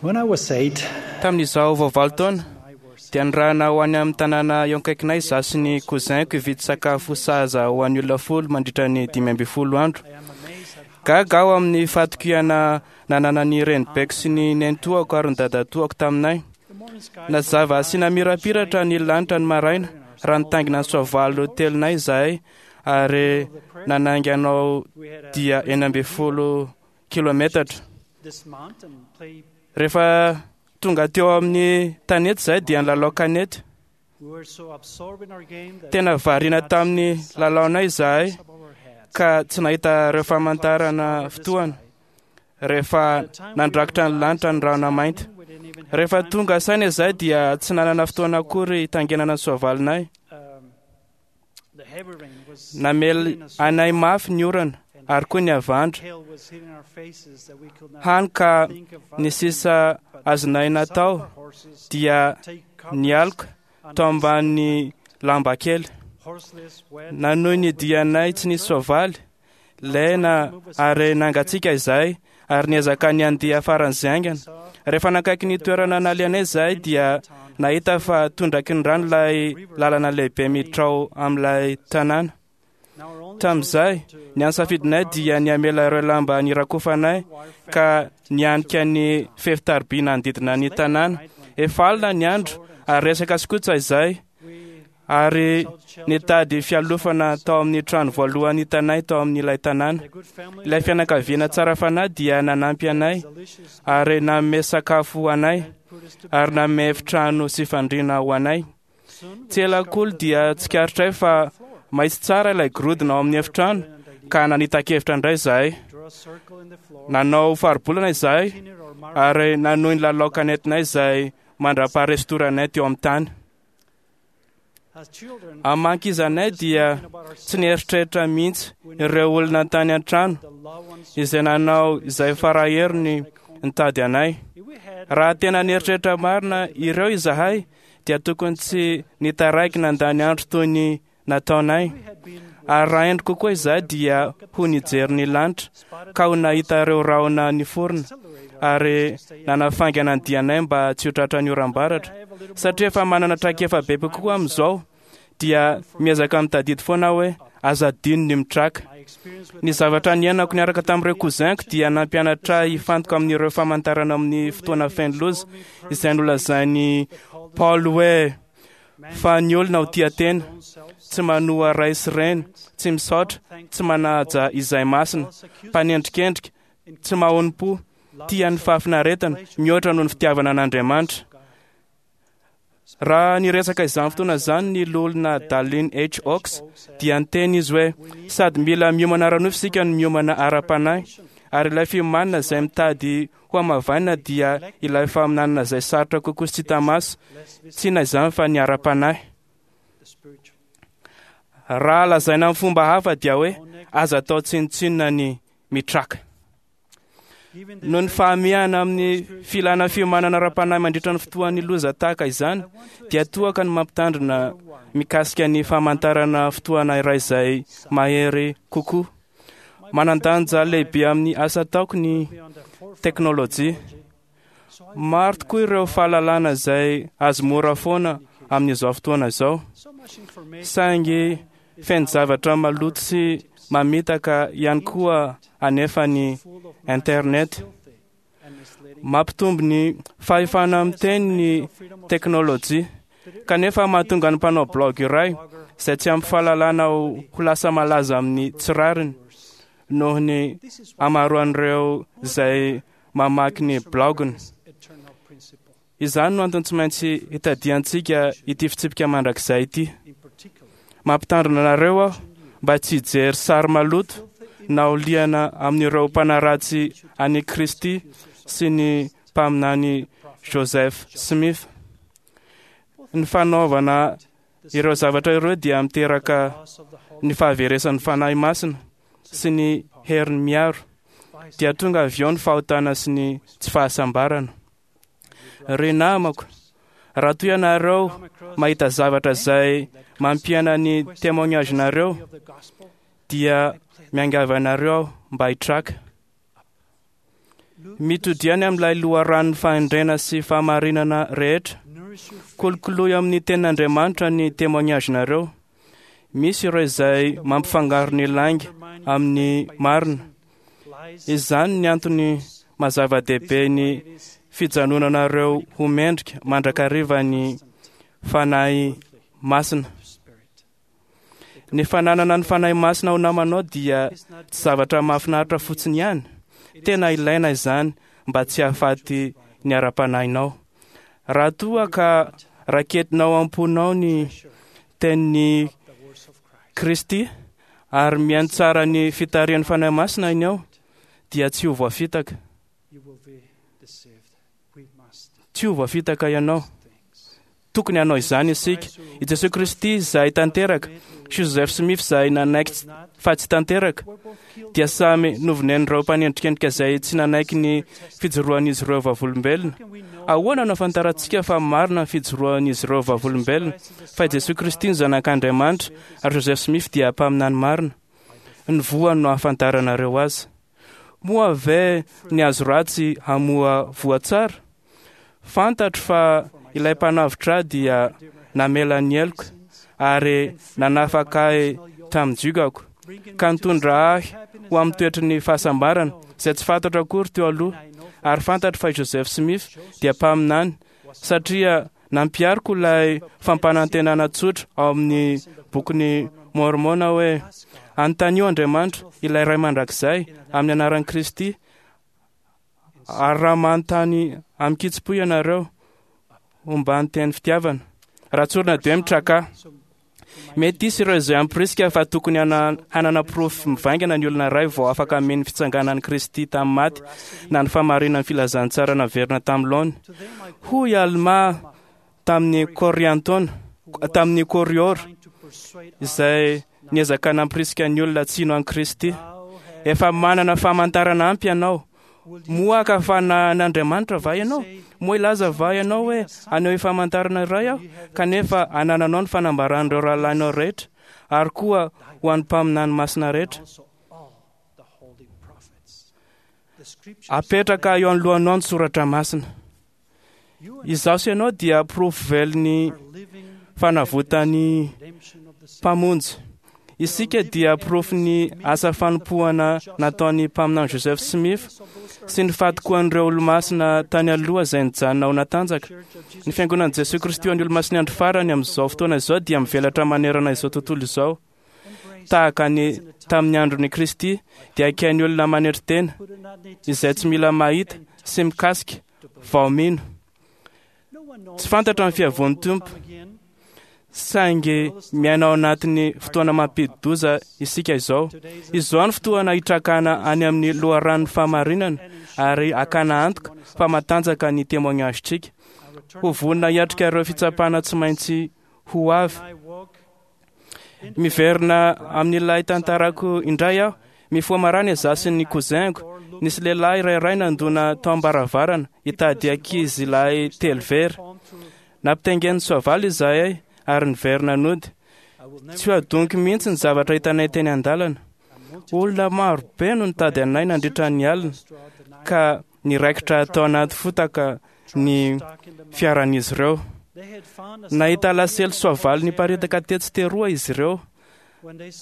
When I was 8, Tamin'izaho vao 8 taona dia nirahana ho any amin'ny tanàna eo akaikinay izaho sy ny cousin-ko hividy sakafo sahaza ho an'ny olona 10 mandritra ny 15 andro. I am amazed at how Gaga aho amin'ny fahatokiana nananan'ny renibeko sy ny nenitoako ary ny dadatoako taminay. the morning sky Nazava sy namirapiratra ny lanitra ny maraina raha nitaingina ny soavaly telonay izahay ary nanainga anao we had a dia 16 kilometatra. dismount and play. Rehefa tonga teo amin'ny tanety izahay dia nilalao kanety. We were so absorbed in our game that Tena variana tamin'ny lalaonay izahay above our heads. ka tsy nahita ireo famantarana fotoana rehefa nandrakotra ny lanitra ny rahona mainty. We didn't even have Rehefa time tonga saina izahay dia tsy nanana fotoana akory hitangenana ny soavalinay. The heavy rain was Namely hitting us anay mafy ny orana and ary koa ny havandra. hail was hitting our faces that we could not Hany ka think of ny other sisa things but azonay some of natao our horses dia take covers nialoka under tao the ambany lamba kely. horseless, wet, Nanohy ny dianay tsy nisy soavaly, lena ary nangatsiaka izahay ary niezaka ny andia faran'izay haingana. saw Rehefa nakaiky ny toerana nalehanay izahay dia nahita fa tondraky ny rano ilay lalana lehibe miditra ao amin'ilay tanàna. Now our only Tamin'izay, choice to ny ansafidinay dia ny hamela ireo lamba nirakofanay ka nianika ny fefy tariby nanodidina ny tanàna. Efa alina ny andro ary resaka sy kotsa izahay we ary sought shelter nitady fialofana tao amin'ny trano voalohany hitanay tao amin'ilay tanàna. The good family Ilay fianakaviana tsara fanahy dia nanampy anay delicious ary nanome sakafo anay and put us to ary nanome efitrano sy fandriana ho anay. soon we Tsy ela akory dia tsikaritray fa maitso tsara ilay gorodona ao amin'ny efitrano ka nanita-kevitra indray izahay. draw a circle in the floor Nanao faribolana izahay continued our marvel ary nanohy ny lalao kanetinay izay mandra-paharestoranay teo amin'ny tany. as children Amin'ny maha ankizy anay dia tsy nieritreritra mihitsy ireo olona tany an-trano the loved ones izay nanao izay faraheriny nitady anay. if we had Raha tena nieritreritra marina ireo izahay dia tokony tsy nitaraiky nandany andro toy ny nataonay. we had been Ary raha endry kokoa izahay dia ho nijery ny lanitra spotted ka ho nahita ireo rahona niforona accelerated ary nanafaingana ny dianay mba tsy ho tratran'ny oram-baratra. Satria efa manana traikefa bebe kokoa amin'izao dia miezaka mitadidy foana aho hoe aza adino ny mitraka. my experience with Ny zavatra niainako niaraka tamin'ireo cousin-ko dia nampianatra ahy hifantoka amin'ireo famantarana amin'ny fotoana feno loza izay nolazain'i Paul hoe fa ny olona ho tia tena, tsy manoa ray sy reny, tsy misaotra, tsy manaja izay masina, mpanendrikendrika, tsy mahonom-po, tia ny fahafinaretana mihoatra noho ny fitiavana an'Andriamanitra. Raha niresaka izany fotoana izany ny loholona Dallin H. Oaks dia niteny izy hoe sady mila miomana ara-nofo isika no miomana ara-panahy ary ilay fiomanana izay mitady ho hamavaina dia ilay faminanana izay sarotra kokoa sy tsy hita maso, tsy inona izany fa ny ara-panahy. the spiritual Raha lazaina amin'ny fomba hafa dia hoe aza atao tsinontsinona ny mitraka. given the Noho ny fahamehana amin'ny filana fiomanana ara-panahy mandritra ny fotoan'ny loza tahaka izany dia toaka ny mampitandrina mikasika ny famantarana fotoana iray izay mahery kokoa. Manan-danja lehibe amin'ny asa ataoko ny be on the forefront teknôlôjia. so I Maro tokoa ireo fahalalana izay azo mora foana amin'izao fotoana izao. so much information Saingy feno zavatra maloto sy mamitaka ihany koa anefa ny full of internet. filthy and misleading Mampitombo ny fahefana miteny ny teknôlôjia kanefa mahatonga ny mpanao blog iray izay tsy ampy fahalalana ho lasa malaza amin'ny tsy rariny noho ny this is hamaroan'ireo izay mamaky ny blaoginy. eternal principle Izany no antony tsy maintsy hitadiantsika ity fitsipika mandrakizay ity. in particular Mampitandrina anareo aho mba tsy hijery sary maloto na ho liana amin'ireo mpanaratsy an'i Kristy sy ny mpaminany Joseph Smith. Ny fanaovana ireo zavatra ireo dia miteraka loss of the Holy ny fahaveresan'ny fanahy masina sy ny heriny miaro dia tonga avy eo ny fahotana sy ny tsy fahasambarana. Ry namako, raha toa ianareo mahita zavatra izay mampiaina ny témoignage-nareo of the gospel dia miangavy anareo aho mba hitraka. Mitodiany amin'ilay loharanon'ny fahendrena sy fahamarinana rehetra. Kolokoloy amin'ny tenin'Andriamanitra ny témoignage-nareo. Misy ireo izay mampifangaro ny lainga amin'ny marina. Izany ny antony mazava-dehibe ny fijanonanareo ho mendrika mandrakariva ny Fanahy Masina. Ny fananana ny Fanahy Masina ho namanao dia tsy zavatra mahafinaritra fotsiny ihany. Tena ilaina izany mba tsy hahafaty ny ara-panahinao. Raha toa ka raketinao am-ponao ny tenin'i Kristy ary mihaino tsara ny fitarihan'ny Fanahy Masina ianao, dia tsy ho voafitaka. Tsy ho voafitaka ianao. Tokony hanao izany isika. I Jesoa Kristy izay tanteraka sy Joseph Smith izay nanaiky fa tsy tanteraka dia samy novonen'ireo mpanendrikendrika izay tsy nanaiky ny fijoroan'izy ireo vavolombelona. Ahoana no ahafantarantsika fa marina ny fijoroan'izy ireo vavolombelona fa i Jesoa Kristy no Zanak'Andriamanitra ary Joseph Smith dia mpaminany marina? Ny voany no ahafantaranareo azy. Moa ve ny hazo ratsy hamoa voa tsara? Fantatro fa ilay mpanavotra ahy dia namela ny heloka ary nanafaka ahy tamin'ny jiogako, ka nitondra ahy ho amin'ny toetry ny fahasambarana izay tsy fantatro akory teo aloha. Ary fantatro fa i Joseph Smith dia mpaminany, satria nampihariko ilay fampanantenana tsotra ao amin'ny bokin'i Môrmôna hoe, Anontanio Andriamanitra, ilay Ray Mandrakizay, amin'ny anaran'i Kristy, Ary raha manontany amin-kitsim-po ianareo, homba ny teny fitiavana. Raha tsorina dia mitraka. Mety hisy ireo izay hamporisika fa tokony hanana porofo mivaingana ny olona iray vao afaka hameno ny fitsanganan'i Kristy tamin'ny maty na ny fahamarinan'ny filazantsara naverina tamin'ny laony. Hoy Almà tamin'ny Kôriantôna, tamin'ny Kôriôra, izay niezaka nampirisika ny olona tsy hino an'i Kristy. Efa manana famantarana ampy ianao. Moa haka fanahin'Andriamanitra va ianao? Moa hilaza va ianao hoe, Haneho famantarana iray aho, kanefa anananao ny fanambaran'ireo rahalahinao rehetra, ary koa ho an'ny mpaminany masina rehetra? Apetraka eo anoloanao ny soratra masina. Izaho sy ianao dia porofo velon'ny fanavotan'ny Mpamonjy. Isika dia porofon'ny asa fanompoana nataon'ny mpaminany Joseph Smith sy ny fahatokoan'ireo olomasina tany aloha izay nijanona ho natanjaka. Ny Fiangonan'i Jesoa Kristy ho an'ny Olomasin'ny Andro Farany amin'izao fotoana izao dia mivelatra manerana izao tontolo izao. Tahaka ny tamin'ny andron'i Kristy dia akain'ny olona manetry tena izay tsy mila mahita sy mikasika vao mino. Tsy fantatra ny fiavoan'ny Tompo, saingy miaina ao anatin'ny fotoana mampidi-doza isika izao. Izao ny fotoana hitrakana any amin'ny loharanon'ny fahamarinana ary hakana antoka fa matanjaka ny témoignage-tsika. Ho vonona hiatrika ireo fitsapana tsy maintsy ho avy. Miverina amin'ilay tantarako indray aho. Mifoha maraina izaho sy ny cousin-ko. Nisy lehilahy iray ray nandona tao am-baravarana hitady ankizy lahy telo very. Nampitaingen'ny soavaly izahay ary niverina nody. Tsy ho adoniko mihitsy ny zavatra hitanay teny an-dalana. Olona maro be no nitady anay nandritra ny alina ka niraikitra tao anaty fotaka ny fiaran'izy ireo. Nahita lasely soavaly niparitaka tetsy teroa izy ireo.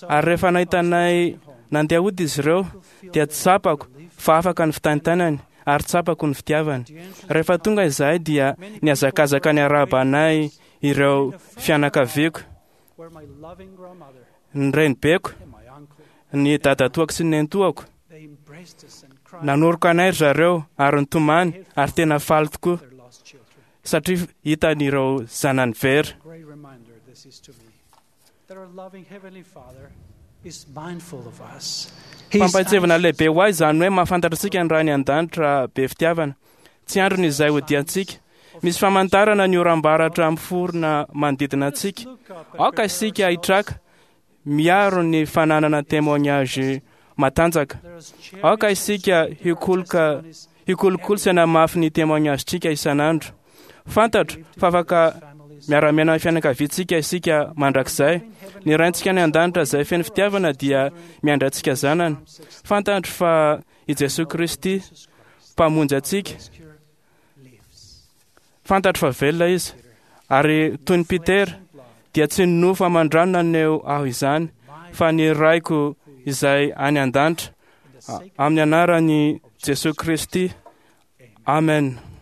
Ary rehefa nahita anay nandeha hody izy ireo, dia tsapako fa afaka ny fitaintainany ary tsapako ny fitiavany. Rehefa tonga izahay dia nihazakazaka niarahaba anay ireo fianakaviako, ny renibeko, ny dadatoako sy ny nenitoako. Nanoroka anay ry zareo ary nitomany ary tena faly tokoa satria hitany ireo zanany very. Fampahatsiahivana lehibe ho ahy izany hoe mahafantatra antsika ny Ray any An-danitra be fitiavana. Tsy andriny izay hodiantsika. Misy famantarana ny oram-baratra miforona manodidina antsika. Aoka isika hitraka miaro ny fananana témoignage matanjaka. Aoka isika hikoloka hikolokolo sy hanamafy ny témoignage-tsika isan'andro. Fantatro fa afaka miara-miaina amin'ny fianakaviantsika isika mandrakizay. Ny Raintsika any an-danitra izay feno fitiavana dia miandry antsika zanany. Fantatro fa i Jesoa Kristy, Mpamonjy antsika. Rescuer lives. Fantatro fa velona izy. Ary toy ny Petera, dia tsy ny nofo aman-drano naneho aho izany, fa ny Raiko izay any an-danitra, In the sacred amin'ny anaran'i Jesosy Kristy. Amen.